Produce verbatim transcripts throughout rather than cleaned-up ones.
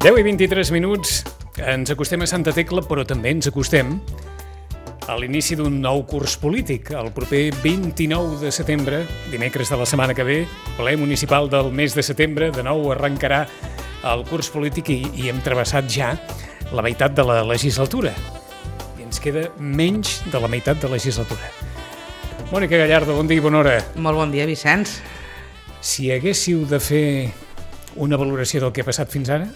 deu i vint-i-tres minuts, ens acostem a Santa Tecla, però també ens acostem a l'inici d'un nou curs polític. El proper vint-i-nou de setembre, dimecres de la setmana que ve, ple municipal del mes de setembre, de nou arrencarà el curs polític i, i hem travessat ja la meitat de la legislatura. I ens queda menys de la meitat de legislatura. Mònica Gallardo, bon dia i bona hora. Molt bon dia, Vicenç. Si haguéssiu de fer una valoració del que ha passat fins ara?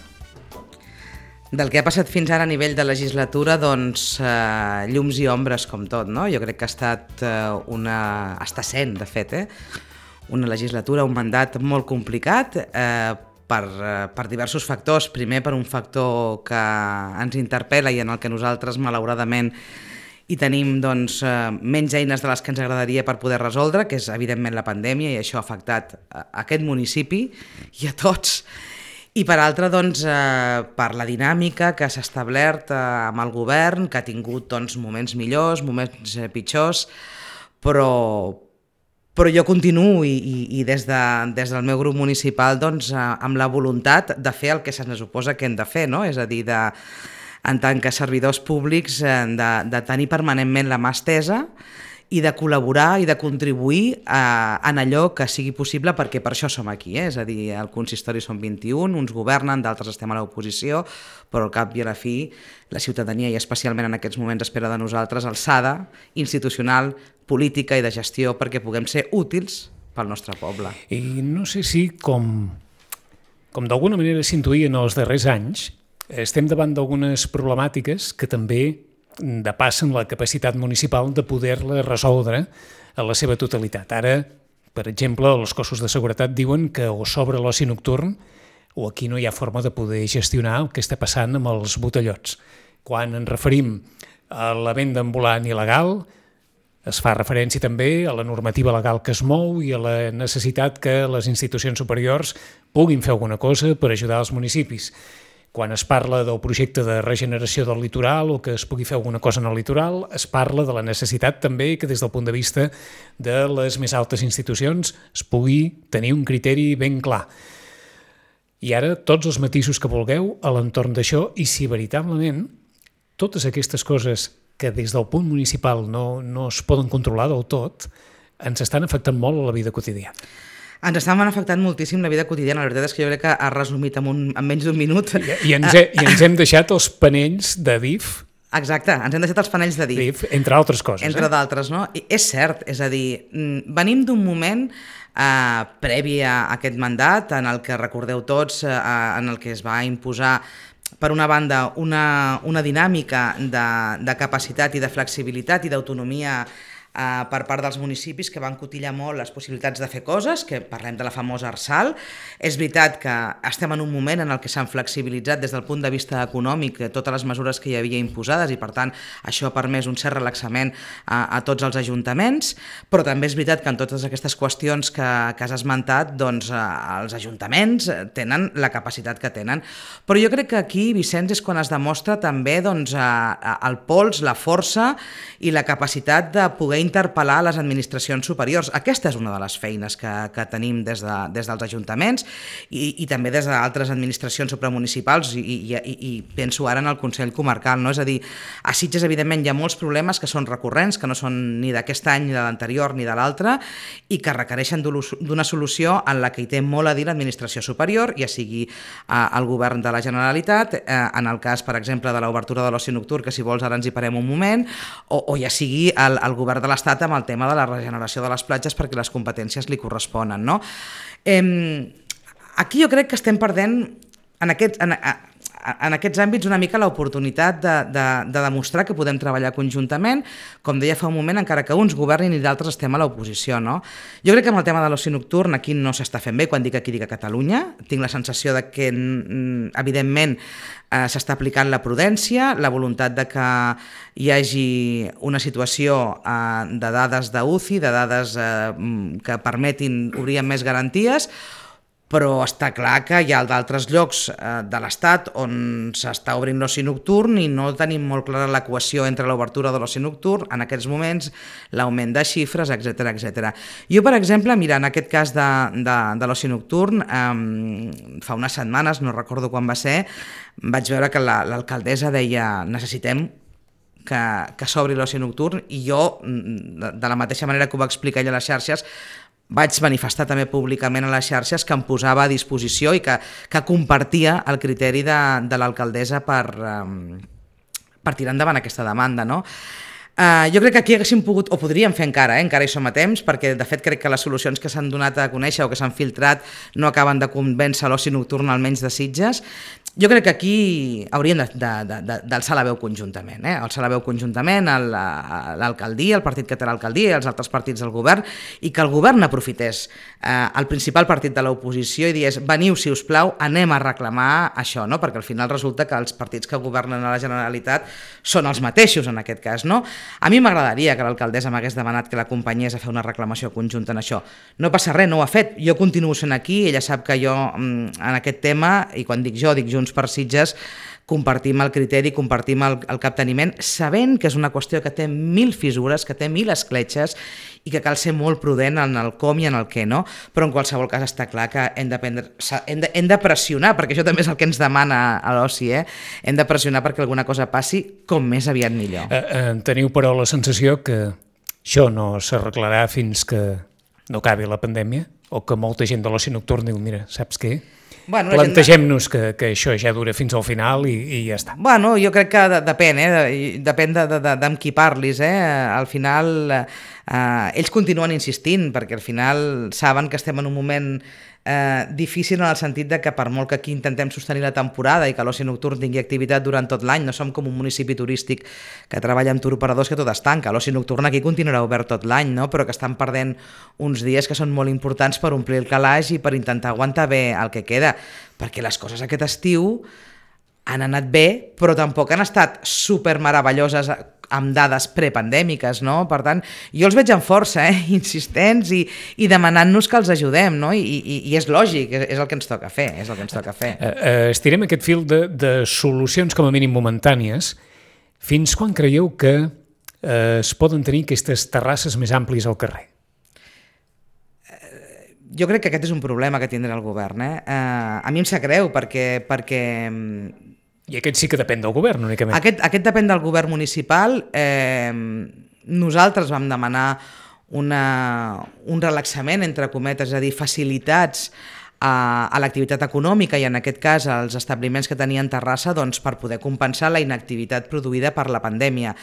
Del que ha passat fins ara a nivell de legislatura, doncs eh, llums i ombres com tot, no? Jo crec que ha estat eh, una... està sent, de fet, eh? una legislatura, un mandat molt complicat eh, per, eh, per diversos factors. Primer, per un factor que ens interpel·la i en el que nosaltres, malauradament, i tenim doncs, eh, menys eines de les que ens agradaria per poder resoldre, que és evidentment la pandèmia, i això ha afectat a aquest municipi i a tots. I per altra, doncs, eh, per la dinàmica que s'ha establert eh, amb el govern, que ha tingut doncs, moments millors, moments eh, pitjors, però, però jo continuo i, i, i des, de, des del meu grup municipal doncs, eh, amb la voluntat de fer el que se'ns suposa que hem de fer, no? És a dir, de, en tant que servidors públics, eh, de, de tenir permanentment la mà estesa i de col·laborar i de contribuir a, en allò que sigui possible, perquè per això som aquí, eh? És a dir, al consistori són vint-i-un, uns governen, d'altres estem a l'oposició, però al cap i a la fi la ciutadania, i especialment en aquests moments, espera de nosaltres alçada institucional, política i de gestió perquè puguem ser útils pel nostre poble. I no sé si, com, com d'alguna manera s'intuïa en els darrers anys, estem davant d'algunes problemàtiques que també depassen la capacitat municipal de poder-la resoldre a la seva totalitat. Ara, per exemple, els cossos de seguretat diuen que o s'obre l'oci nocturn o aquí no hi ha forma de poder gestionar el que està passant amb els botellots. Quan ens referim a la venda ambulant il·legal, es fa referència també a la normativa legal que es mou i a la necessitat que les institucions superiors puguin fer alguna cosa per ajudar els municipis. Quan es parla del projecte de regeneració del litoral o que es pugui fer alguna cosa en el litoral, es parla de la necessitat també que des del punt de vista de les més altes institucions es pugui tenir un criteri ben clar. I ara tots els matisos que vulgueu a l'entorn d'això, i si veritablement totes aquestes coses que des del punt municipal no, no es poden controlar del tot, ens estan afectant molt a la vida quotidiana. Ens estaven afectant moltíssim la vida quotidiana. La veritat és que jo crec que ha resumit en, un, en menys d'un minut. I, i, ens he, I ens hem deixat els panells de D I F. Exacte, ens hem deixat els panells de D I F. Entre altres coses. Entre eh? d'altres, no? I és cert, és a dir, venim d'un moment eh, previ a aquest mandat en el que recordeu tots, eh, en el que es va imposar per una banda una, una dinàmica de, de capacitat i de flexibilitat i d'autonomia Uh, per part dels municipis que van cotillar molt les possibilitats de fer coses, que parlem de la famosa Arsal. És veritat que estem en un moment en el que s'han flexibilitzat des del punt de vista econòmic totes les mesures que hi havia imposades i per tant això ha permès un cert relaxament a, a tots els ajuntaments, però també és veritat que en totes aquestes qüestions que, que has esmentat, doncs uh, els ajuntaments tenen la capacitat que tenen. Però jo crec que aquí, Vicenç, és quan es demostra també doncs, uh, el pols, la força i la capacitat de poder interpel·lar les administracions superiors. Aquesta és una de les feines que, que tenim des, de, des dels ajuntaments i, i també des d'altres administracions supramunicipals i, i, i, i penso ara en el Consell Comarcal, no? És a dir, a Sitges evidentment hi ha molts problemes que són recurrents, que no són ni d'aquest any, ni de l'anterior, ni de l'altre, i que requereixen d'una solució en la que hi té molt a dir l'administració superior, ja sigui eh, el govern de la Generalitat, eh, en el cas, per exemple, de l'obertura de l'oci nocturn, que si vols ara ens hi parem un moment, o, o ja sigui el, el govern de l'Estat amb el tema de la regeneració de les platges perquè les competències li corresponen, no? Eh, aquí jo crec que estem perdent en, aquest, en, en aquests àmbits una mica l'oportunitat de, de, de demostrar que podem treballar conjuntament, com deia fa un moment, encara que uns governin i d'altres estem a l'oposició, no? Jo crec que amb el tema de l'oci nocturn aquí no s'està fent bé, quan dic aquí dic a Catalunya, tinc la sensació de que evidentment eh, s'està aplicant la prudència, la voluntat de que hi hagi una situació eh, de dades d'U C I, de dades eh, que permetin obrir amb més garanties, però està clar que hi ha d'altres llocs eh, de l'Estat on s'està obrint l'oci nocturn i no tenim molt clara l'equació entre l'obertura de l'oci nocturn en aquests moments, l'augment de xifres, etcètera, etcètera. Jo, per exemple, mira, en aquest cas de, de, de l'oci nocturn, eh, fa unes setmanes, no recordo quan va ser, vaig veure que la, l'alcaldessa deia necessitem que, que s'obri l'oci nocturn, i jo, de la mateixa manera que ho va explicar ella a les xarxes, vaig manifestar també públicament a les xarxes que em posava a disposició i que, que compartia el criteri de, de l'alcaldessa per, um, per tirar endavant aquesta demanda, no? Uh, jo crec que aquí haguéssim pogut, o podríem fer encara, eh? Encara hi som a temps, perquè de fet crec que les solucions que s'han donat a conèixer o que s'han filtrat no acaben de convèncer l'oci nocturn, almenys de Sitges. Jo crec que aquí hauríem d'alçar la veu conjuntament, eh? alçar la veu conjuntament a l'alcaldia, el partit que té l'alcaldia i els altres partits del govern, i que el govern aprofités eh, el principal partit de l'oposició i digués veniu, si us plau, anem a reclamar això, no? Perquè al final resulta que els partits que governen a la Generalitat són els mateixos en aquest cas, no? A mi m'agradaria que l'alcaldessa m'hagués demanat que l'acompanyés a fer una reclamació conjunta en això. No passa res, no ho ha fet. Jo continuo sent aquí, ella sap que jo en aquest tema, i quan dic jo, dic Junts per Sitges, compartim el criteri, compartim el, el capteniment, sabent que és una qüestió que té mil fissures, que té mil escletxes i que cal ser molt prudent en el com i en el què, no? Però en qualsevol cas està clar que hem de, prendre, hem de, hem de pressionar, perquè això també és el que ens demana a l'oci, eh? Hem de pressionar perquè alguna cosa passi com més aviat millor. Eh, eh, teniu, però, la sensació que això no s'arreglarà fins que no acabi la pandèmia? O que molta gent de l'oci nocturn diu, mira, saps què? Bueno, plantegem-nos que, que això ja dura fins al final i, i ja està. Bueno, jo crec que de, depèn, eh? depèn de, de, de, d'amb qui parlis. Eh? Al final, eh, ells continuen insistint, perquè al final saben que estem en un moment eh, difícil en el sentit de que per molt que aquí intentem sostenir la temporada i que l'oci nocturn tingui activitat durant tot l'any, no som com un municipi turístic que treballa amb turoperadors que tot es tanca. L'oci nocturn aquí continuarà obert tot l'any, no? Però que estan perdent uns dies que són molt importants per omplir el calaix i per intentar aguantar bé el que queda, perquè les coses aquest estiu han anat bé, però tampoc han estat super meravelloses amb dades prepandèmiques, no? Per tant, jo els veig amb força, eh? insistents i, i demanant-nos que els ajudem, no? I, i, i és lògic, és el que ens toca fer, és el que ens toca fer. Uh, uh, estirem aquest fil de, de solucions com a mínim momentànies. Fins quan creieu que uh, es poden tenir aquestes terrasses més àmplies al carrer? Jo crec que aquest és un problema que tindrà el govern. Eh? Uh, a mi em sap greu perquè... perquè I aquest sí que depèn del govern, únicament. Aquest, aquest depèn del govern municipal. Eh, nosaltres vam demanar una, un relaxament, entre cometes, és a dir, facilitats a, a l'activitat econòmica i en aquest cas als establiments que tenien terrassa, doncs, per poder compensar la inactivitat produïda per la pandèmia.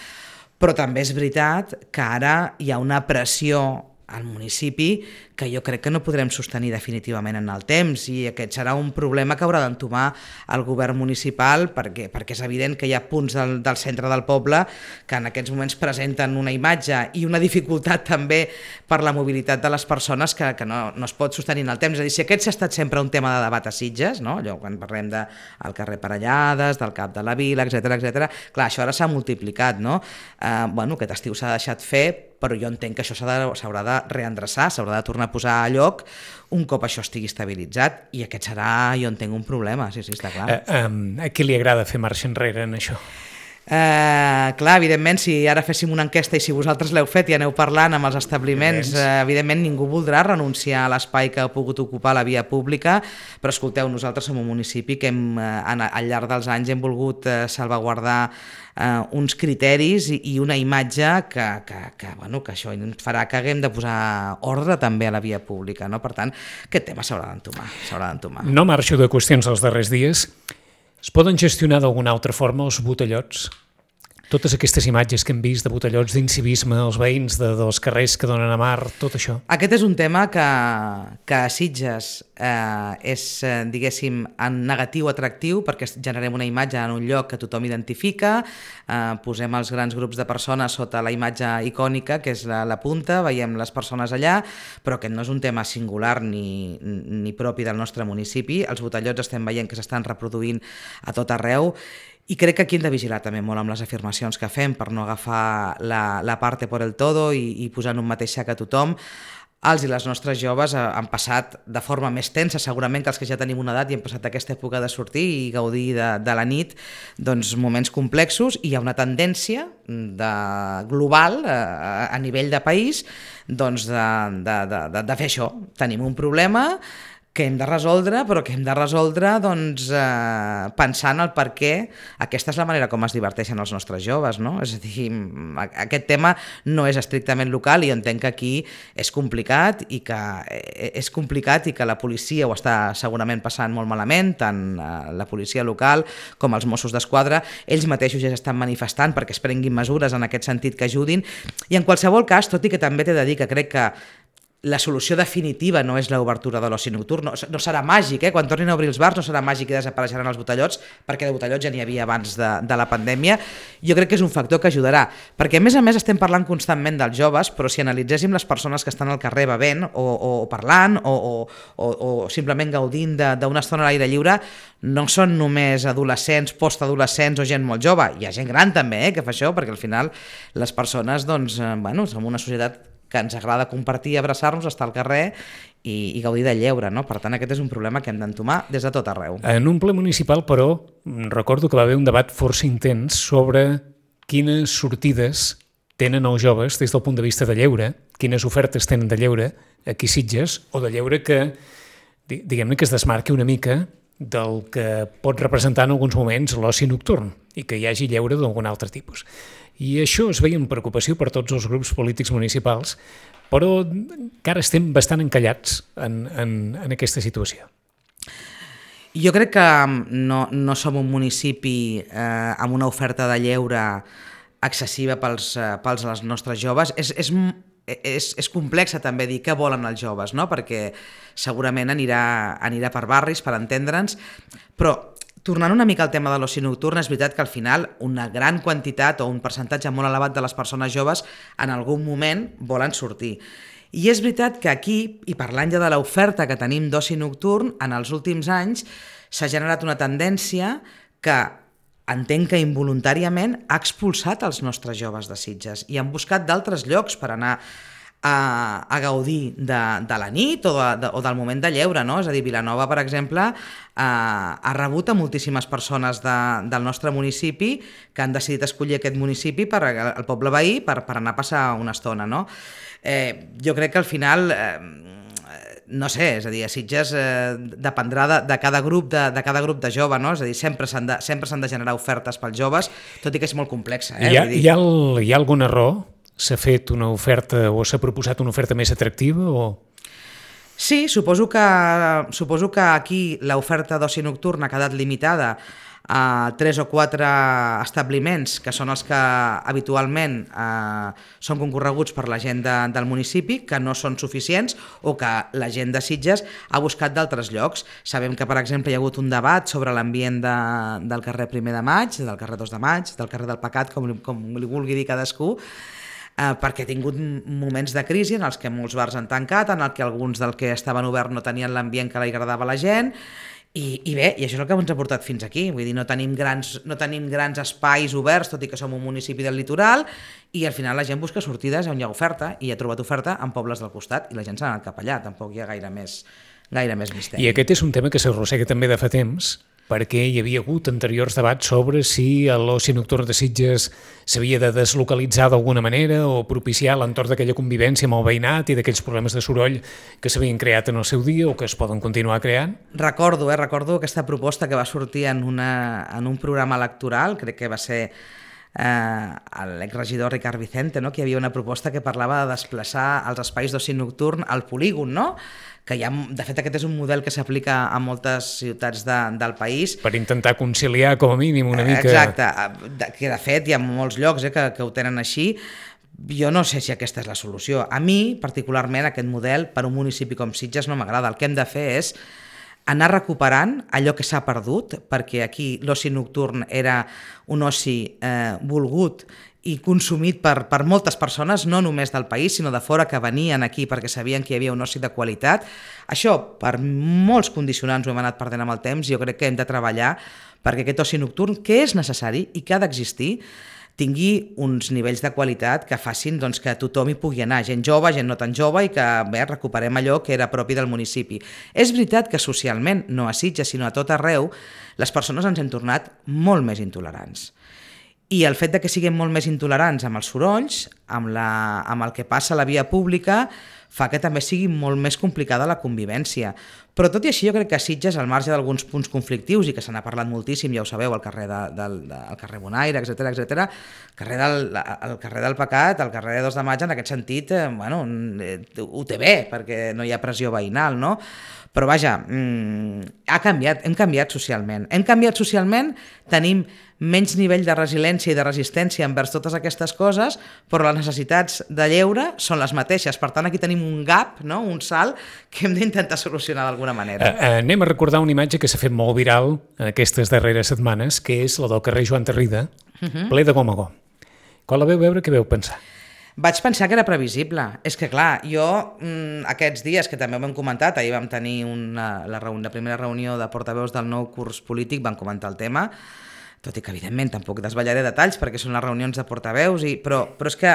Però també és veritat que ara hi ha una pressió al municipi que jo crec que no podrem sostenir definitivament en el temps, i aquest serà un problema que haurà d'entomar el govern municipal, perquè, perquè és evident que hi ha punts del, del centre del poble que en aquests moments presenten una imatge i una dificultat també per la mobilitat de les persones que, que no, no es pot sostenir en el temps. És a dir, si aquest s'ha estat sempre un tema de debat a Sitges, no? Allò, quan parlem del carrer Parellades, del Cap de la Vila, etcètera, etcètera, clar, això ara s'ha multiplicat, no? Eh, bueno, aquest estiu s'ha deixat fer, però jo entenc que això s'haurà de reendreçar, s'haurà de tornar a posar a lloc un cop això estigui estabilitzat, i aquest serà, jo entenc, un problema, sí, sí, està clar. Uh, um, a qui li agrada fer marxa enrere en això? Uh, clar, evidentment, si ara féssim una enquesta i si vosaltres l'heu fet i aneu parlant amb els establiments, uh, evidentment ningú voldrà renunciar a l'espai que ha pogut ocupar la via pública, però escolteu, nosaltres som un municipi que hem, uh, al llarg dels anys hem volgut uh, salvaguardar Uh, uns criteris i, i una imatge que, que, que, bueno, que això farà que haguem de posar ordre també a la via pública, no? Per tant, aquest tema s'haurà d'entomar, s'haurà d'entomar. No marxo de qüestions dels darrers dies. Es poden gestionar d'alguna altra forma els botellots? Totes aquestes imatges que hem vist de botellots, d'incivisme, els veïns de, dels carrers que donen a mar, tot això. Aquest és un tema que, que a Sitges eh, és, eh, diguéssim, en negatiu atractiu, perquè generem una imatge en un lloc que tothom identifica, eh, posem els grans grups de persones sota la imatge icònica, que és la, la punta, veiem les persones allà, però aquest no és un tema singular ni, ni propi del nostre municipi. Els botellots estem veient que s'estan reproduint a tot arreu, i crec que aquí hem de vigilar també molt amb les afirmacions que fem per no agafar la, la parte por el todo i, i posar en un mateix sac a tothom. els i les nostres joves han passat de forma més tensa, segurament que els que ja tenim una edat i hem passat aquesta època de sortir i gaudir de, de la nit, doncs moments complexos, i hi ha una tendència de, global a, a nivell de país doncs de, de, de, de, de fer això. Tenim un problema que hem de resoldre, però que hem de resoldre doncs, eh, pensant el per què aquesta és la manera com es diverteixen els nostres joves, no? És a dir, aquest tema no és estrictament local i jo entenc que aquí és complicat i que és complicat i que la policia ho està segurament passant molt malament, tant la policia local com els Mossos d'Esquadra. Ells mateixos ja estan manifestant perquè es prenguin mesures en aquest sentit que ajudin, i en qualsevol cas, tot i que també t'he de dir que crec que la solució definitiva no és l'obertura de l'oci nocturn, no, no serà màgic, eh? Quan tornin a obrir els bars no serà màgic i desapareixeran els botellots, perquè de botellots ja n'hi havia abans de, de la pandèmia. Jo crec que és un factor que ajudarà, perquè a més a més estem parlant constantment dels joves, però si analitzéssim les persones que estan al carrer bevent o, o parlant o, o, o, o simplement gaudint d'una estona a l'aire lliure, no són només adolescents, postadolescents o gent molt jove, hi ha gent gran també eh, que fa això, perquè al final les persones, doncs, eh, bueno, som una societat que ens agrada compartir, abraçar-nos, estar al carrer i, i gaudir del lleure, no? Per tant, aquest és un problema que hem d'entomar des de tot arreu. En un ple municipal, però, recordo que va haver un debat força intens sobre quines sortides tenen els joves des del punt de vista de lleure, quines ofertes tenen de lleure aquí a Sitges, o de lleure que, diguem-ne, que es desmarqui una mica del que pot representar en alguns moments l'oci nocturn i que hi hagi lleure d'algun altre tipus. I això es veia amb preocupació per tots els grups polítics municipals, però encara estem bastant encallats en, en, en aquesta situació. Jo crec que no, no som un municipi eh, amb una oferta de lleure excessiva pels, eh, pels als nostres joves. És, és, és, és complex també dir què volen els joves, no? Perquè segurament anirà, anirà per barris, per entendre'ns, però tornant una mica al tema de l'oci nocturn, és veritat que al final una gran quantitat o un percentatge molt elevat de les persones joves en algun moment volen sortir. I és veritat que aquí, i parlant ja de l'oferta que tenim d'oci nocturn, en els últims anys s'ha generat una tendència que entenc que involuntàriament ha expulsat els nostres joves de Sitges i han buscat d'altres llocs per anar a, a gaudir de, de la nit o, de, de, o del moment de lleure, no? És a dir, Vilanova, per exemple, eh, ha rebut a moltíssimes persones de, del nostre municipi que han decidit escollir aquest municipi per el poble veí per, per anar a passar una estona, no? Eh, jo crec que al final eh, no sé, és a dir, a Sitges eh, dependrà de, de, cada grup de, de cada grup de jove, no? És a dir, sempre s'han de, sempre s'han de generar ofertes pels joves, tot i que és molt complexa. Eh? Hi ha, hi ha, el, hi ha algun error? S'ha fet una oferta o s'ha proposat una oferta més atractiva? O... Sí, suposo que, suposo que aquí l'oferta d'oci nocturn ha quedat limitada a tres o quatre establiments que són els que habitualment eh, són concorreguts per la gent de, del municipi, que no són suficients o que la gent de Sitges ha buscat d'altres llocs. Sabem que, per exemple, hi ha hagut un debat sobre l'ambient de, del carrer Primer de Maig, del carrer dos de Maig, del carrer del Pecat, com, com li vulgui dir cadascú, eh, perquè ha tingut moments de crisi en els que molts bars han tancat, en el que alguns del que estaven oberts no tenien l'ambient que li agradava a la gent. I, I bé, i això és el que ens ha portat fins aquí, vull dir, no tenim grans, no tenim grans espais oberts, tot i que som un municipi del litoral, i al final la gent busca sortides on hi ha oferta, i ha trobat oferta en pobles del costat, i la gent s'ha anat cap allà, tampoc hi ha gaire més, gaire més misteri. I aquest és un tema que s'arrossega també de fa temps, perquè hi havia hagut anteriors debats sobre si l'oci nocturn de Sitges s'havia de deslocalitzar d'alguna manera o propiciar l'entorn d'aquella convivència amb el veïnat i d'aquells problemes de soroll que s'havien creat en el seu dia o que es poden continuar creant. Recordo, eh, recordo aquesta proposta que va sortir en, una, en un programa electoral, crec que va ser eh, l'exregidor Ricard Vicente, no? Que hi havia una proposta que parlava de desplaçar els espais d'oci nocturn al polígon, no? Que hi ha, de fet aquest és un model que s'aplica a moltes ciutats de, del país. Per intentar conciliar com a mínim una mica... Exacte, que de fet hi ha molts llocs eh, que, que ho tenen així. Jo no sé si aquesta és la solució. A mi, particularment, aquest model per un municipi com Sitges no m'agrada. El que hem de fer és anar recuperant allò que s'ha perdut, perquè aquí l'oci nocturn era un oci eh, volgut i consumit per, per moltes persones, no només del país, sinó de fora, que venien aquí perquè sabien que hi havia un oci de qualitat. Això, per molts condicionants, ho hem anat perdent amb el temps, i jo crec que hem de treballar perquè aquest oci nocturn, que és necessari i que ha d'existir, tingui uns nivells de qualitat que facin doncs, que tothom hi pugui anar, gent jove, gent no tan jove, i que bé, recuperem allò que era propi del municipi. És veritat que socialment, no a Sitges, sinó a tot arreu, les persones ens hem tornat molt més intolerants. I el fet de que siguem molt més intolerants amb els sorolls, amb, la, amb el que passa a la via pública, fa que també sigui molt més complicada la convivència. Però tot i així jo crec que a Sitges, al marge d'alguns punts conflictius, i que se n'ha parlat moltíssim, ja ho sabeu, al carrer, de, del, de, al carrer Bonaire, etcètera, etcètera, carrer del, el carrer del Pecat, el carrer de dos de maig, en aquest sentit, eh, bueno, ho té bé, perquè no hi ha pressió veïnal, no? Però vaja, mmm, ha canviat, hem canviat socialment. Hem canviat socialment, tenim menys nivell de resiliència i de resistència envers totes aquestes coses, però les necessitats de lleure són les mateixes. Per tant, aquí tenim un gap, no? Un salt que hem d'intentar solucionar d'alguna manera. Uh, anem a recordar una imatge que s'ha fet molt viral en aquestes darreres setmanes, que és la del carrer Joan Tarrida, uh-huh. ple de gom a gom. Quan la veu veure, què veu pensar? Vaig pensar que era previsible. És que, clar, jo mmm, aquests dies, que també ho hem comentat, ahir vam tenir una, la, reun- la primera reunió de portaveus del nou curs polític, vam comentar el tema, tot i que, evidentment, tampoc desvetllaré detalls perquè són les reunions de portaveus, i, però, però és, que,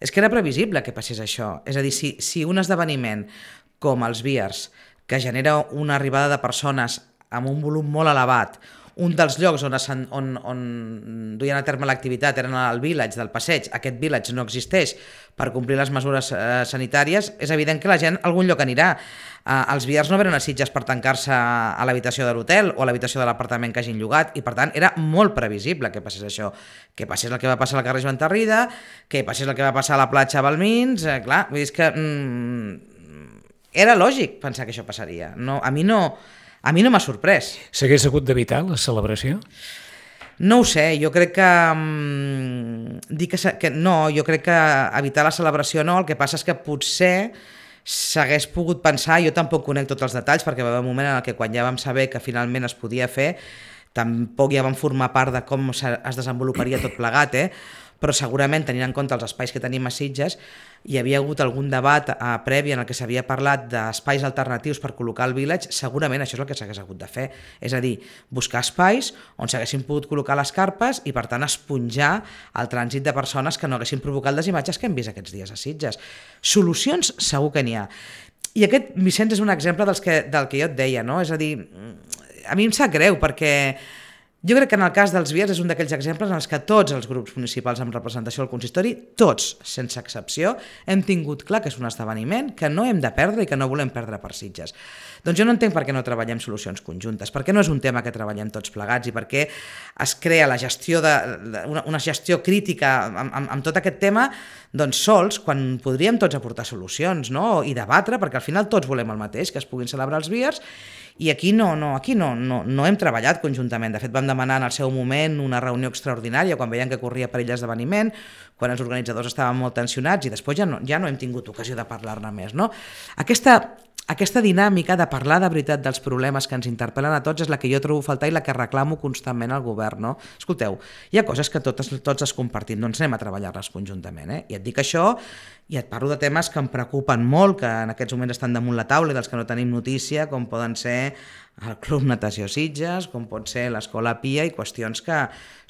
és que era previsible que passés això. És a dir, si, si un esdeveniment com els Beers, que genera una arribada de persones amb un volum molt elevat, un dels llocs on, on, on duien a terme l'activitat eren al village del Passeig, aquest village no existeix per complir les mesures eh, sanitàries, és evident que la gent a algun lloc anirà. Eh, els Beers no venen a Sitges per tancar-se a l'habitació de l'hotel o a l'habitació de l'apartament que hagin llogat, i per tant era molt previsible que passés això, que passés el que va passar al carrer Joan Tarrida, que passés el que va passar a la platja Balmins, eh, clar, vull dir, és que mm, era lògic pensar que això passaria. No, a mi no... A mi no m'ha sorprès. S'hagués hagut d'evitar la celebració? No ho sé, jo crec que... Um, dir que, que... No, jo crec que evitar la celebració no, el que passa és que potser s'hagués pogut pensar, jo tampoc conec tots els detalls, perquè va haver un moment en què quan ja vam saber que finalment es podia fer, tampoc ja vam formar part de com es desenvoluparia tot plegat, eh? Però segurament, tenint en compte els espais que tenim a Sitges, hi havia hagut algun debat eh, previ en el que s'havia parlat d'espais alternatius per col·locar el village, segurament això és el que s'hagués hagut de fer. És a dir, buscar espais on s'haguessin pogut col·locar les carpes i, per tant, esponjar el trànsit de persones que no haguessin provocat les imatges que hem vist aquests dies a Sitges. Solucions segur que n'hi ha. I aquest, Vicenç, és un exemple dels que, del que jo et deia, no? És a dir, a mi em sap greu perquè... Jo crec que en el cas dels Beers és un d'aquells exemples en els que tots els grups municipals amb representació al consistori, tots, sense excepció, hem tingut clar que és un esdeveniment que no hem de perdre i que no volem perdre per Sitges. Doncs jo no entenc per què no treballem solucions conjuntes, per què no és un tema que treballem tots plegats i per què es crea la gestió de, de una, una gestió crítica amb, amb, amb tot aquest tema doncs sols, quan podríem tots aportar solucions, no? I debatre, perquè al final tots volem el mateix, que es puguin celebrar els Beers. I aquí no, no, aquí no, no, no hem treballat conjuntament. De fet, vam demanar en el seu moment una reunió extraordinària quan veiem que corria perill l'esdeveniment, quan els organitzadors estaven molt tensionats, i després ja no, ja no hem tingut ocasió de parlar-ne més, no? Aquesta, aquesta dinàmica de parlar de veritat dels problemes que ens interpel·len a tots és la que jo trobo a faltar i la que reclamo constantment al govern, no? Escolteu, hi ha coses que totes, tots es compartim, doncs anem a treballar-les conjuntament, eh? I et dic això i et parlo de temes que em preocupen molt, que en aquests moments estan damunt la taula i dels que no tenim notícia, com poden ser el Club Natació Sitges, com pot ser l'Escola Pia, i qüestions que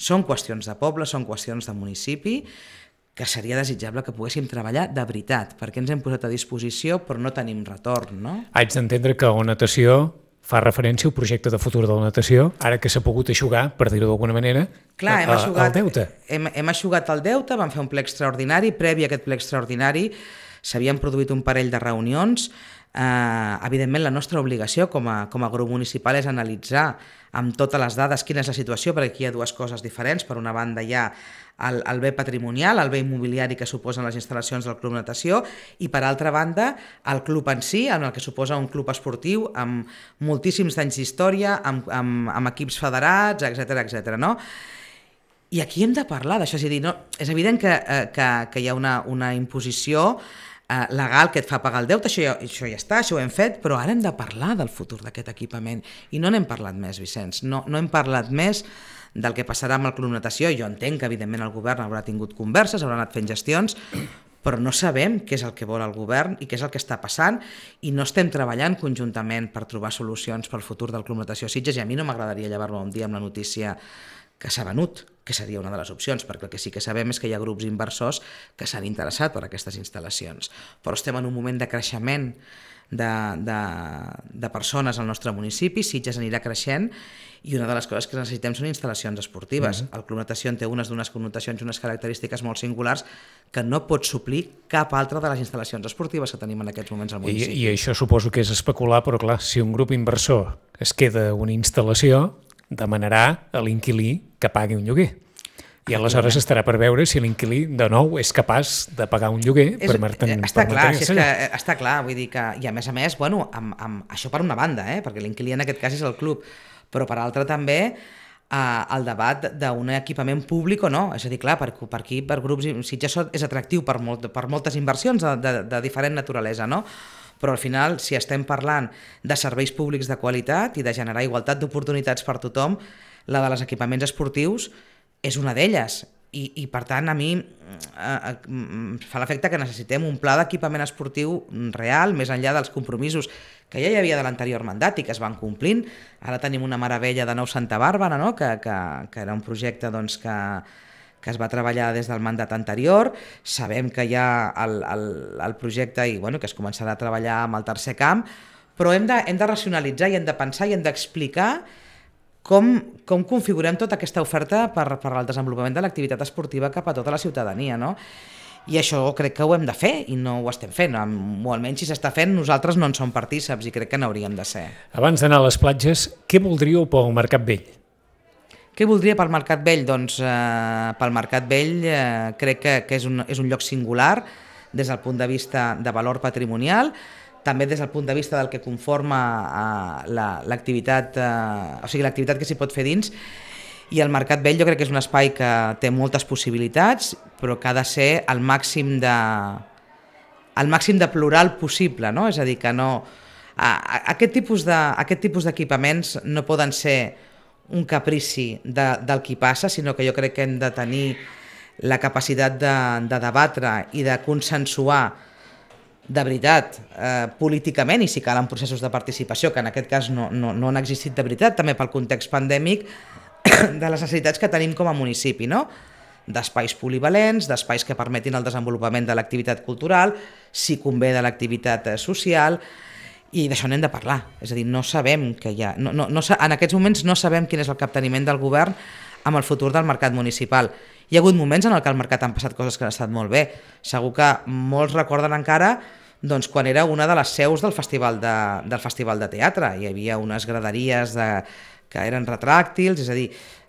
són qüestions de poble, són qüestions de municipi, que seria desitjable que poguéssim treballar de veritat, perquè ens hem posat a disposició però no tenim retorn, no? Haig d'entendre que la natació fa referència al projecte de futur de la natació, ara que s'ha pogut eixugar, per dir-ho d'alguna manera, Clar, hem eixugat, el deute. Hem, hem eixugat el deute, vam fer un ple extraordinari, previ a aquest ple extraordinari s'havien produït un parell de reunions. Eh, evidentment, la nostra obligació com a, com a grup municipal és analitzar amb totes les dades quina és la situació, perquè aquí hi ha dues coses diferents. Per una banda hi ha el, el bé patrimonial, el bé immobiliari que suposen les instal·lacions del Club Natació, i per altra banda el club en si, en el que suposa un club esportiu amb moltíssims anys d'història, amb, amb, amb equips federats, etcètera, etcètera, no? I aquí hem de parlar d'això, és a dir, no, és evident que, eh, que, que hi ha una, una imposició eh, legal que et fa pagar el deute, això ja, això ja està, això ho hem fet, però ara hem de parlar del futur d'aquest equipament, i no n'hem parlat més, Vicenç, no, no hem parlat més del que passarà amb el Club Natació. Jo entenc que evidentment el govern haurà tingut converses, haurà anat fent gestions, però no sabem què és el que vol el govern i què és el que està passant, i no estem treballant conjuntament per trobar solucions pel futur del Club Natació Sitges, i a mi no m'agradaria llevar-me un dia amb la notícia que s'ha venut, que seria una de les opcions, perquè el que sí que sabem és que hi ha grups inversors que s'han interessat per aquestes instal·lacions. Però estem en un moment de creixement de, de, de persones al nostre municipi, Sitges anirà creixent, i una de les coses que necessitem són instal·lacions esportives. Mm-hmm. El Club Natació en té unes d'unes connotacions i unes característiques molt singulars que no pot suplir cap altra de les instal·lacions esportives que tenim en aquests moments al municipi. I, i això suposo que és especular, però clar, si un grup inversor es queda una instal·lació, demanarà a l'inquilí que pagui un lloguer. I aleshores estarà per veure si l'inquilí de nou és capaç de pagar un lloguer és, per mantenir-se allà. Està clar, si és que, està clar, vull dir que, i a més a més, bueno, amb, amb, això per una banda, eh, perquè l'inquilí en aquest cas és el club, però per altra també eh, el debat d'un equipament públic o no, és a dir, clar, per, per aquí, per grups, Sitges és atractiu per, molt, per moltes inversions de, de, de diferent naturalesa, no? Però al final, si estem parlant de serveis públics de qualitat i de generar igualtat d'oportunitats per tothom, la de els equipaments esportius és una d'elles. I, i per tant, a mi eh, fa l'efecte que necessitem un pla d'equipament esportiu real, més enllà dels compromisos que ja hi havia de l'anterior mandat i que es van complint. Ara tenim una meravella de Nou Santa Bàrbara, no? que, que, que era un projecte doncs, que... que es va treballar des del mandat anterior, sabem que hi ha el, el, el projecte i bueno, que es començarà a treballar amb el tercer camp, però hem de, hem de racionalitzar i hem de pensar i hem d'explicar com, com configurem tota aquesta oferta per, per al desenvolupament de l'activitat esportiva cap a tota la ciutadania, no? I això crec que ho hem de fer i no ho estem fent, o almenys si s'està fent nosaltres no en som partíceps i crec que n'hauríem de ser. Abans d'anar a les platges, què voldríeu pel Mercat Vell? Què voldria pel Mercat Vell? Doncs eh, pel Mercat Vell eh, crec que, que és, un, és un lloc singular des del punt de vista de valor patrimonial, també des del punt de vista del que conforma eh, l'activitat, eh, o sigui, l'activitat que s'hi pot fer dins, i el Mercat Vell jo crec que és un espai que té moltes possibilitats, però que ha de ser el màxim de, el màxim de plural possible, no? És a dir, que no... A, a, aquest tipus de, aquest tipus d'equipaments no poden ser un caprici de, del qui passa, sinó que jo crec que hem de tenir la capacitat de, de debatre i de consensuar de veritat, eh, políticament, i si cal en processos de participació, que en aquest cas no, no, no han existit de veritat, també pel context pandèmic, de les necessitats que tenim com a municipi, no? D'espais polivalents, d'espais que permetin el desenvolupament de l'activitat cultural, si convé de l'activitat social, i d'això n'hem de parlar, és a dir, no sabem que hi ha, no, no, no, en aquests moments no sabem quin és el capteniment del govern amb el futur del mercat municipal. Hi ha hagut moments en què al mercat han passat coses que han estat molt bé, segur que molts recorden encara doncs, quan era una de les seus del festival de, del festival de teatre, hi havia unes graderies de, que eren retràctils, és a dir,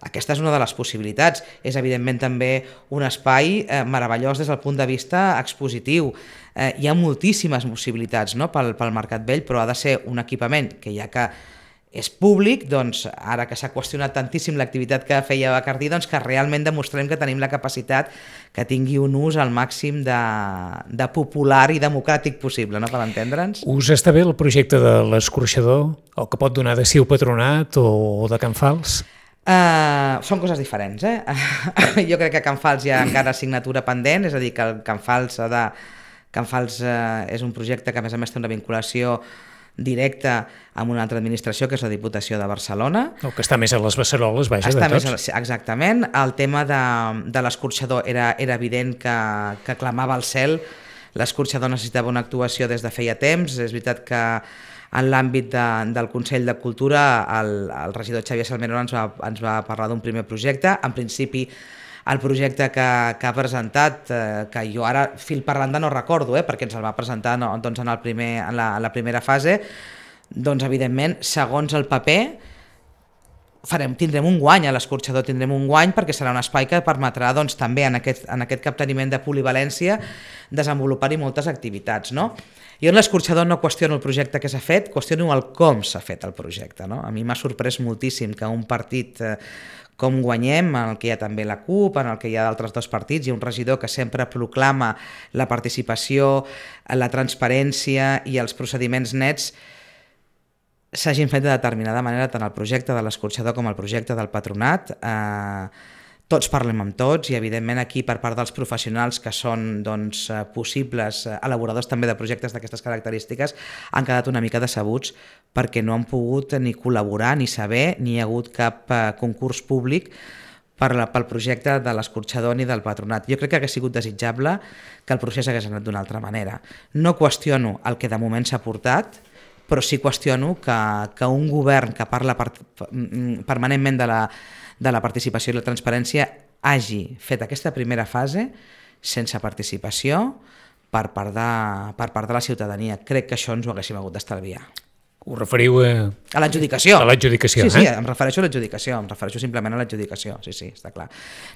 aquesta és una de les possibilitats, és evidentment també un espai eh, meravellós des del punt de vista expositiu. Eh, hi ha moltíssimes possibilitats, no? pel, pel Mercat Vell, però ha de ser un equipament que ja que és públic, doncs ara que s'ha qüestionat tantíssim l'activitat que feia Bacardí, doncs que realment demostrem que tenim la capacitat que tingui un ús al màxim de, de popular i democràtic possible, no? Per entendre'ns. Us està bé el projecte de l'escorxador, el que pot donar de si el Patronat o de Can Fals? Uh, són coses diferents, eh? Jo crec que a Can Fals hi ha encara assignatura pendent, és a dir, que el Can Fals, de... Can Fals uh, és un projecte que a més a més té una vinculació directa amb una altra administració, que és la Diputació de Barcelona. El que està més a les beceroles, vaja, està de tots. Més a, exactament. El tema de, de l'escorxador era, era evident que, que clamava al cel. L'escorxador necessitava una actuació des de feia temps. És veritat que en l'àmbit de, del Consell de Cultura el, el regidor Xavier Salmerón ens va, ens va parlar d'un primer projecte. En principi, el projecte que, que ha presentat, eh, que jo ara fil per randa no recordo, eh, perquè ens el va presentar no, doncs en, el primer, en, la, en la primera fase, doncs evidentment, segons el paper, farem, tindrem un guany a l'escorxador, tindrem un guany perquè serà un espai que permetrà doncs, també en aquest, en aquest capteniment de polivalència desenvolupar-hi moltes activitats. No? Jo en l'escorxador no qüestiono el projecte que s'ha fet, qüestiono el com s'ha fet el projecte. No? A mi m'ha sorprès moltíssim que un partit eh, com Guanyem, en el que hi ha també la CUP, en el que hi ha d'altres dos partits, hi ha un regidor que sempre proclama la participació, la transparència i els procediments nets, s'hagin fet de determinada manera tant el projecte de l'escorxador com el projecte del Patronat. Eh, tots parlem amb tots i evidentment aquí per part dels professionals que són doncs, possibles elaboradors també de projectes d'aquestes característiques han quedat una mica decebuts perquè no han pogut ni col·laborar ni saber, ni hi ha hagut cap eh, concurs públic per la, pel projecte de l'escorxador ni del patronat. Jo crec que hagués sigut desitjable que el procés hagués anat d'una altra manera. No qüestiono el que de moment s'ha portat, però sí qüestiono que, que un govern que parla per, permanentment de la, de la participació i la transparència hagi fet aquesta primera fase sense participació per part de, per part de la ciutadania. Crec que això ens ho haguéssim hagut d'estalviar. Ho referiu a... A l'adjudicació. A l'adjudicació, sí, eh? Sí, em refereixo a l'adjudicació, em refereixo simplement a l'adjudicació, sí, sí, està clar.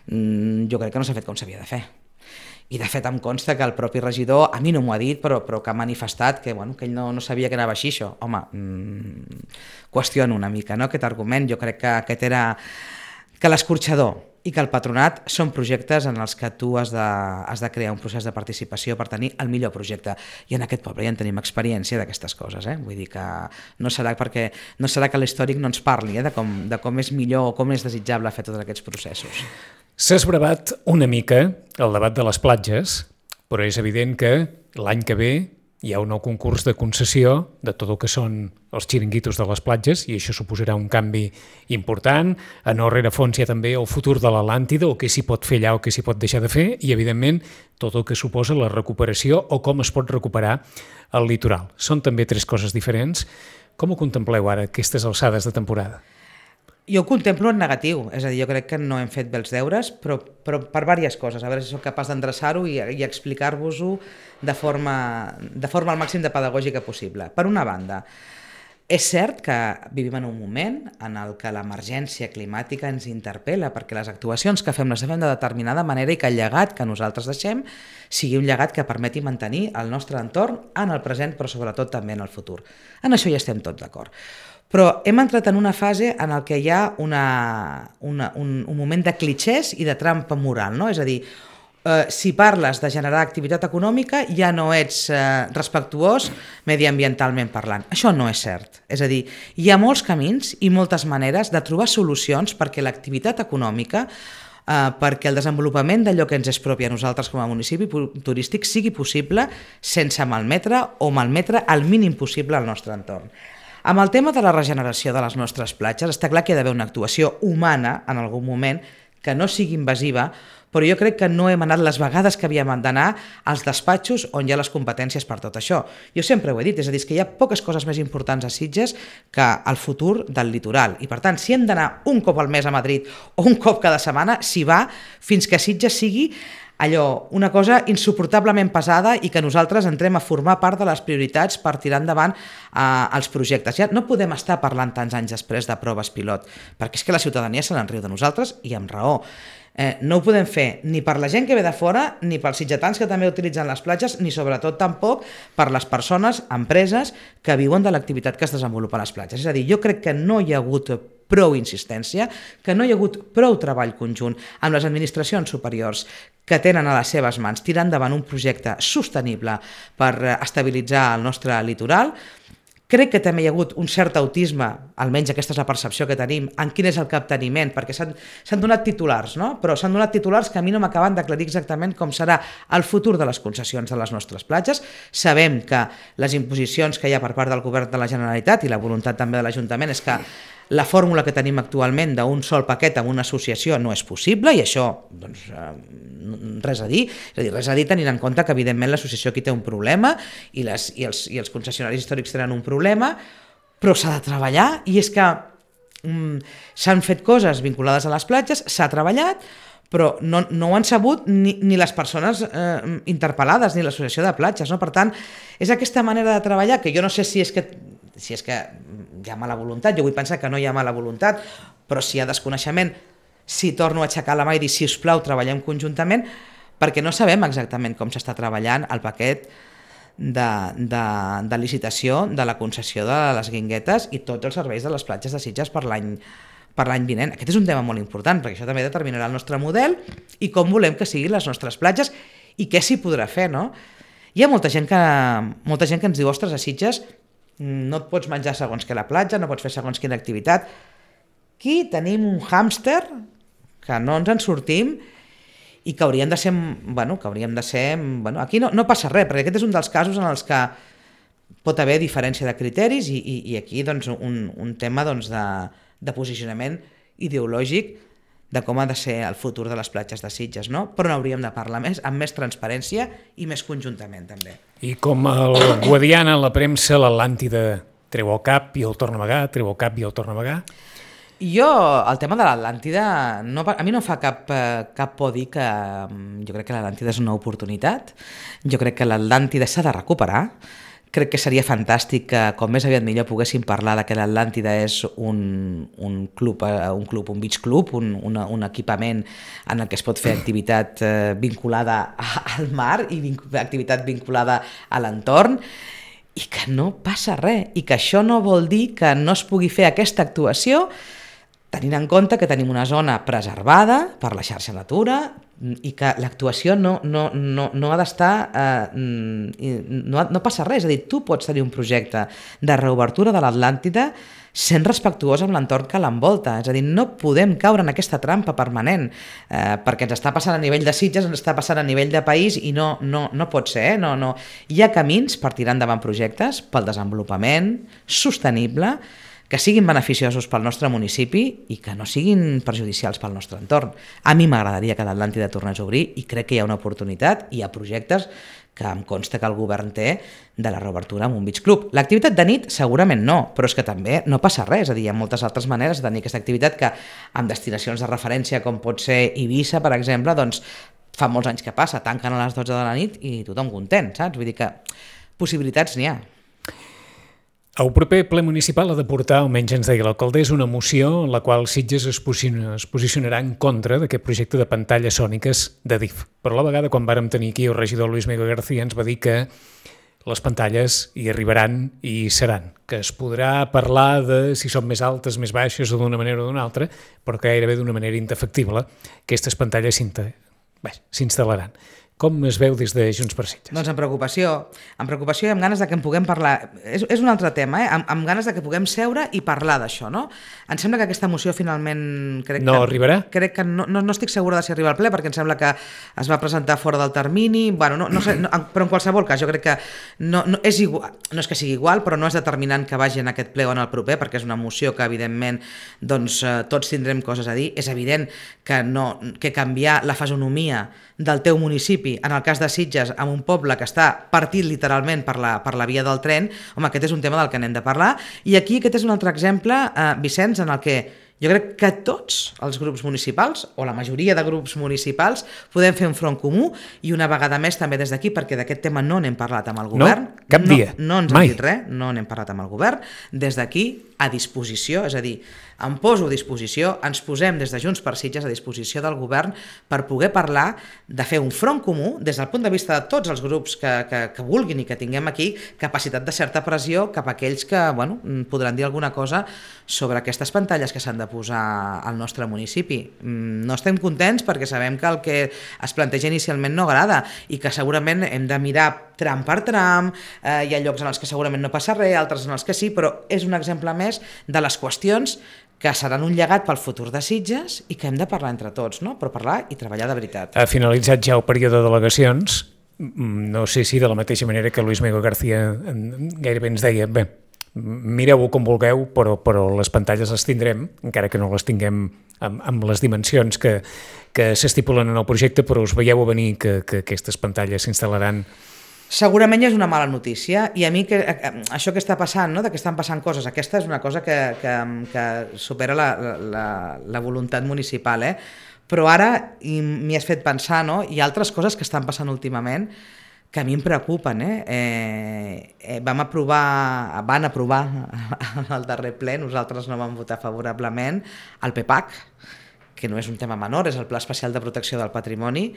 Mm, jo crec que no s'ha fet com s'havia de fer. I de fet em consta que el propi regidor, a mi no m'ho ha dit, però, però que ha manifestat que, bueno, que ell no, no sabia que anava així això. Home, mmm, qüestiono una mica, no?, aquest argument. Jo crec que aquest era... que l'escorxador i que el patronat són projectes en els que tu has de, has de crear un procés de participació per tenir el millor projecte. I en aquest poble ja en tenim experiència d'aquestes coses. Eh? Vull dir que no serà, perquè, no serà que l'històric no ens parli eh? de, com, de com és millor o com és desitjable fer tots aquests processos. S'ha esbravat una mica el debat de les platges, però és evident que l'any que ve hi ha un nou concurs de concessió de tot el que són els xiringuitos de les platges i això suposarà un canvi important. A no rerefons hi ha també el futur de l'Atlàntida, o què s'hi pot fer allà o què s'hi pot deixar de fer i, evidentment, tot el que suposa la recuperació o com es pot recuperar el litoral. Són també tres coses diferents. Com ho contempleu ara, aquestes alçades de temporada? Jo ho contemplo en negatiu, és a dir, jo crec que no hem fet bé els deures, però, però per diverses coses, a veure si soc capaç d'endreçar-ho i, i explicar-vos-ho de forma, de forma al màxim de pedagògica possible. Per una banda, és cert que vivim en un moment en el que l'emergència climàtica ens interpel·la perquè les actuacions que fem les fem de determinada manera i que el llegat que nosaltres deixem sigui un llegat que permeti mantenir el nostre entorn en el present, però sobretot també en el futur. En això ja estem tots d'acord. Però hem entrat en una fase en el que hi ha una, una, un, un moment de clichés i de trampa moral, no? És a dir, eh, si parles de generar activitat econòmica ja no ets eh, respectuós mediambientalment parlant. Això no és cert. És a dir, hi ha molts camins i moltes maneres de trobar solucions perquè l'activitat econòmica, eh, perquè el desenvolupament d'allò que ens és propi a nosaltres com a municipi turístic sigui possible sense malmetre o malmetre al mínim possible al nostre entorn. Amb el tema de la regeneració de les nostres platges, està clar que hi ha d'haver una actuació humana en algun moment que no sigui invasiva, però jo crec que no hem anat les vegades que havíem d'anar als despatxos on hi ha les competències per tot això. Jo sempre ho he dit, és a dir, que hi ha poques coses més importants a Sitges que el futur del litoral. I per tant, si hem d'anar un cop al mes a Madrid o un cop cada setmana, s'hi va fins que Sitges sigui allò, una cosa insuportablement pesada i que nosaltres entrem a formar part de les prioritats per tirar endavant eh, els projectes. Ja no podem estar parlant tants anys després de proves pilot, perquè és que la ciutadania se n'enriu de nosaltres i amb raó. Eh, no ho podem fer ni per la gent que ve de fora, ni pels sitgetans que també utilitzen les platges, ni sobretot tampoc per les persones, empreses, que viuen de l'activitat que es desenvolupa a les platges. És a dir, jo crec que no hi ha hagut prou insistència, que no hi ha hagut prou treball conjunt amb les administracions superiors que tenen a les seves mans tirar endavant un projecte sostenible per estabilitzar el nostre litoral. Crec que també hi ha hagut un cert autisme, almenys aquesta és la percepció que tenim, en quin és el capteniment, perquè s'han donat titulars, no? Però s'han donat titulars que a mi no m'acaben d'aclarir exactament com serà el futur de les concessions de les nostres platges. Sabem que les imposicions que hi ha per part del govern de la Generalitat i la voluntat també de l'Ajuntament és que la fórmula que tenim actualment d'un sol paquet amb una associació no és possible i això, doncs, res a dir. És a dir, res a dir tenint en compte que, evidentment, l'associació aquí té un problema i, les, i, els, i els concessionaris històrics tenen un problema, però s'ha de treballar i és que mm, s'han fet coses vinculades a les platges, s'ha treballat, però no, no ho han sabut ni, ni les persones eh, interpel·lades ni l'associació de platges. No? Per tant, és aquesta manera de treballar que jo no sé si és que si és que hi ha mala voluntat, jo vull pensar que no hi ha mala voluntat, però si hi ha desconeixement, si torno a aixecar la mà i dir, si us plau, treballem conjuntament, perquè no sabem exactament com s'està treballant el paquet de, de, de licitació de la concessió de les guinguetes i tots els serveis de les platges de Sitges per l'any per l'any vinent. Aquest és un tema molt important, perquè això també determinarà el nostre model i com volem que siguin les nostres platges i què s'hi podrà fer, no? Hi ha molta gent que, molta gent que ens diu, ostres, a Sitges no et pots menjar segons que la platja, no pots fer segons quina activitat. Aquí tenim un hàmster que no ens en sortim i que hauríem de ser, bueno, que hauríem de ser, bueno, aquí no, no passa res, perquè aquest és un dels casos en els que pot haver diferència de criteris i, i, i aquí doncs, un, un tema doncs, de, de posicionament ideològic de com ha de ser el futur de les platges de Sitges, no? Però n'hauríem de parlar més, amb més transparència i més conjuntament, també. I com el Guadiana, la premsa, l'Atlàntida treu el cap i el torna a amagar, treu el cap i el torna a amagar? Jo, el tema de l'Atlàntida, no, a mi no fa cap, cap por dir que jo crec que l'Atlàntida és una oportunitat, jo crec que l'Atlàntida s'ha de recuperar, crec que seria fantàstic que com més aviat millor poguéssim parlar de que l'Atlàntida és un, un club, un club, un beach club, un, una, un equipament en el que es pot fer activitat eh, vinculada al mar i vinc, activitat vinculada a l'entorn, i que no passa res, i que això no vol dir que no es pugui fer aquesta actuació tenint en compte que tenim una zona preservada per la xarxa Natura i que l'actuació no, no, no, no ha d'estar... Eh, no, no passa res, és a dir, tu pots tenir un projecte de reobertura de l'Atlàntida sent respectuós amb l'entorn que l'envolta, és a dir, no podem caure en aquesta trampa permanent, eh, perquè ens està passant a nivell de Sitges, ens està passant a nivell de país i no, no, no pot ser, eh? no, no. Hi ha camins per tirar endavant projectes pel desenvolupament sostenible, que siguin beneficiosos pel nostre municipi i que no siguin perjudicials pel nostre entorn. A mi m'agradaria que l'Atlàntida tornés a obrir i crec que hi ha una oportunitat, hi ha projectes que em consta que el govern té de la reobertura amb un beach club. L'activitat de nit segurament no, però és que també no passa res, és a dir, hi ha moltes altres maneres de tenir aquesta activitat que amb destinacions de referència com pot ser Eivissa, per exemple, doncs fa molts anys que passa, tanquen a les dotze de la nit i tothom content, saps? Vull dir que possibilitats n'hi ha. El proper ple municipal ha de portar, almenys ens deia l'alcaldessa, una moció en la qual Sitges es, posiciona, es posicionarà en contra d'aquest projecte de pantalles sòniques de D I F. Però a la vegada, quan vàrem tenir aquí el regidor Luis Miguel García, ens va dir que les pantalles hi arribaran i hi seran, que es podrà parlar de si són més altes, més baixes o d'una manera o d'una altra, però que gairebé d'una manera indefectible aquestes pantalles s'instal·laran. Com es veu des de Junts per Sitges? Doncs amb preocupació, amb preocupació i amb ganes de que en puguem parlar. És, és un altre tema, eh? amb, amb ganes de que puguem seure i parlar d'això, no? Em sembla que aquesta moció finalment... Crec no que, arribarà? Crec que no, no, no estic segura de si arriba al ple, perquè em sembla que es va presentar fora del termini, bueno, no, no sé, no, però en qualsevol cas jo crec que no, no, és igual, no és que sigui igual, però no és determinant que vagi en aquest ple o en el proper, perquè és una moció que evidentment doncs, eh, tots tindrem coses a dir. És evident que, no, que canviar la fisonomia del teu municipi, en el cas de Sitges, amb un poble que està partit literalment per la, per la via del tren, home, aquest és un tema del que n'hem de parlar. I aquí aquest és un altre exemple, eh, Vicenç, en el que jo crec que tots els grups municipals, o la majoria de grups municipals, podem fer un front comú i una vegada més també des d'aquí, perquè d'aquest tema no n'hem parlat amb el govern. No, cap dia, no, no ens mai. han dit res, no n'hem parlat amb el govern. Des d'aquí, a disposició, és a dir, em poso a disposició, ens posem des de Junts per Sitges a disposició del govern per poder parlar de fer un front comú des del punt de vista de tots els grups que, que, que vulguin i que tinguem aquí capacitat de certa pressió cap a aquells que bueno, podran dir alguna cosa sobre aquestes pantalles que s'han de posar al nostre municipi. No estem contents perquè sabem que el que es planteja inicialment no agrada i que segurament hem de mirar tram per tram, eh, hi ha llocs en els que segurament no passa res, altres en els que sí, però és un exemple més de les qüestions que seran un llegat pel futur de Sitges i que hem de parlar entre tots, no? Però parlar i treballar de veritat. Ha finalitzat ja el període de delegacions, no sé si de la mateixa manera que Luis Miguel García gairebé ens deia, bé, mireu-ho com vulgueu, però, però les pantalles les tindrem, encara que no les tinguem amb, amb les dimensions que, que s'estipulen en el projecte, però us veieu a venir que, que aquestes pantalles s'instal·laran. Segurament és una mala notícia i a mi que, això que està passant, no? De que estan passant coses, aquesta és una cosa que, que, que supera la, la, la voluntat municipal, eh? Però ara m'hi has fet pensar, no? Hi ha altres coses que estan passant últimament que a mi em preocupen. Eh? Eh, eh, vam aprovar, van aprovar al darrer ple, nosaltres no vam votar favorablement, el P PAC, que no és un tema menor, és el Pla Especial de Protecció del Patrimoni.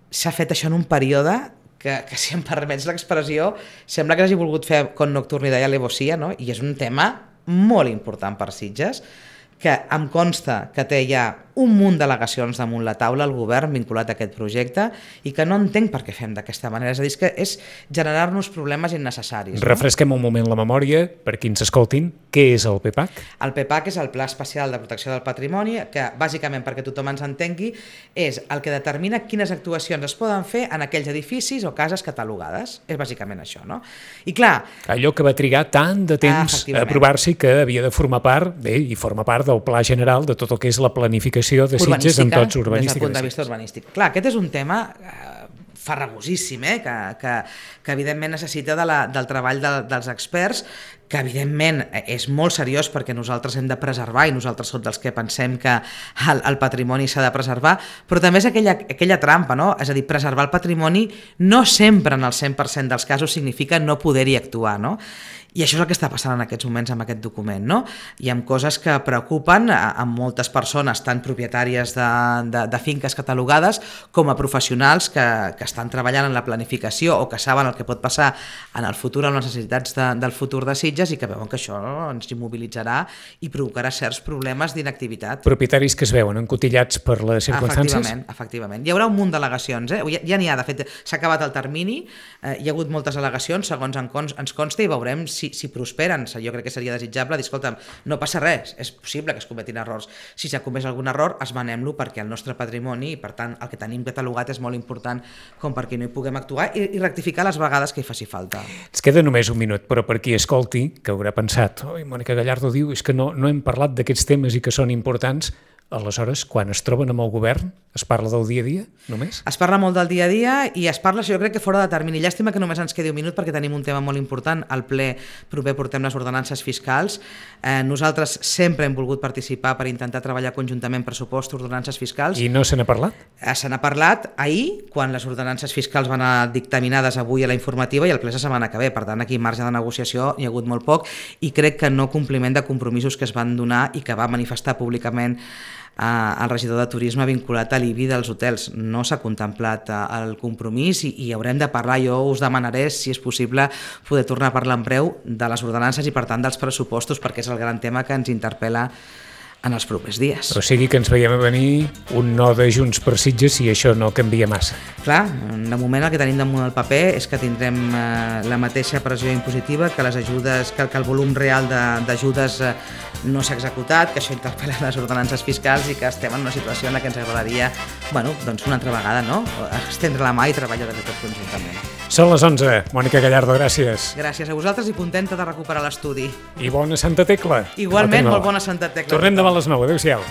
S'ha fet això en un període que, que si em permets l'expressió, sembla que hagi volgut fer con nocturni de Alevosia, no? I és un tema molt important per Sitges, que em consta que té ja un munt d'al·legacions damunt la taula al govern vinculat a aquest projecte i que no entenc per què fem d'aquesta manera. És a dir, que és generar-nos problemes innecessaris. No? Refresquem un moment la memòria per qui ens escoltin. Què és el P PAC? El P PAC és el Pla Especial de Protecció del Patrimoni, que bàsicament, perquè tothom ens entengui, és el que determina quines actuacions es poden fer en aquells edificis o cases catalogades. És bàsicament això, no? I clar... Allò que va trigar tant de temps a aprovar-se i que havia de formar part, bé, i forma part del pla general de tot el que és la planificació de Sitges en tots urbanístic. Des del punt de vista urbanístic. Clar, aquest és un tema eh, farragosíssim, eh, que, que, que evidentment necessita de la, del treball de, dels experts, que evidentment és molt seriós perquè nosaltres hem de preservar i nosaltres som dels que pensem que el, el patrimoni s'ha de preservar, però també és aquella, aquella trampa, no? És a dir, preservar el patrimoni no sempre en el cent per cent dels casos significa no poder-hi actuar, no? I això és el que està passant en aquests moments amb aquest document, no? Hi ha coses que preocupen a, a moltes persones, tant propietàries de, de, de finques catalogades com a professionals que, que estan treballant en la planificació o que saben el que pot passar en el futur amb les necessitats de, del futur de Sitges i que veuen que això ens immobilitzarà i provocarà certs problemes d'inactivitat. Propietaris que es veuen encotillats per les circumstàncies? Efectivament, efectivament. Hi haurà un munt d'al·legacions, eh? Ja n'hi ha, de fet, s'ha acabat el termini, eh, hi ha hagut moltes al·legacions, segons ens consta, i veurem si, si prosperen. Jo crec que seria desitjable dir, escolta'm, no passa res, és possible que es cometin errors. Si s'ha comès algun error, esmenem-lo perquè el nostre patrimoni, i per tant el que tenim catalogat és molt important com perquè no hi puguem actuar i, i rectificar les vegades que hi faci falta. Ens queda només un minut, però per qui escolti, que haurà pensat, oi, Mònica Gallardo diu, és que no, no hem parlat d'aquests temes i que són importants. Aleshores, quan es troben amb el govern, es parla del dia a dia, només? Es parla molt del dia a dia i es parla, jo crec que fora de termini. Llàstima que només ens quedi un minut perquè tenim un tema molt important. Al ple proper portem les ordenances fiscals. Eh, nosaltres sempre hem volgut participar per intentar treballar conjuntament pressupost, ordenances fiscals. I no se n'ha parlat? Eh, se n'ha parlat ahir, quan les ordenances fiscals van a dictaminades avui a la informativa i el ple la setmana que ve. Per tant, aquí marge de negociació hi ha hagut molt poc i crec que no compliment de compromisos que es van donar i que va manifestar públicament el regidor de turisme vinculat a l'I B I dels hotels. No s'ha contemplat el compromís i, i haurem de parlar. Jo us demanaré, si és possible, poder tornar a parlar en breu de les ordenances i, per tant, dels pressupostos, perquè és el gran tema que ens interpel·la en els propers dies. O sigui que ens veiem a venir un no de Junts per Sitges si això no canvia massa. Clar, de moment el que tenim damunt del paper és que tindrem eh, la mateixa pressió impositiva, que les ajudes, que, que el volum real d'ajudes eh, no s'ha executat, que això interpel·la les ordenances fiscals i que estem en una situació en la que ens agradaria, bueno, doncs una altra vegada, no? Estendre la mà i treballar de tot conjuntament. Són les onze. Mònica Gallardo, gràcies. Gràcies a vosaltres i contenta de recuperar l'estudi. I bona Santa Tecla. Igualment, molt bona Santa Tecla. Tornem demà a les nou. Adéu-siau.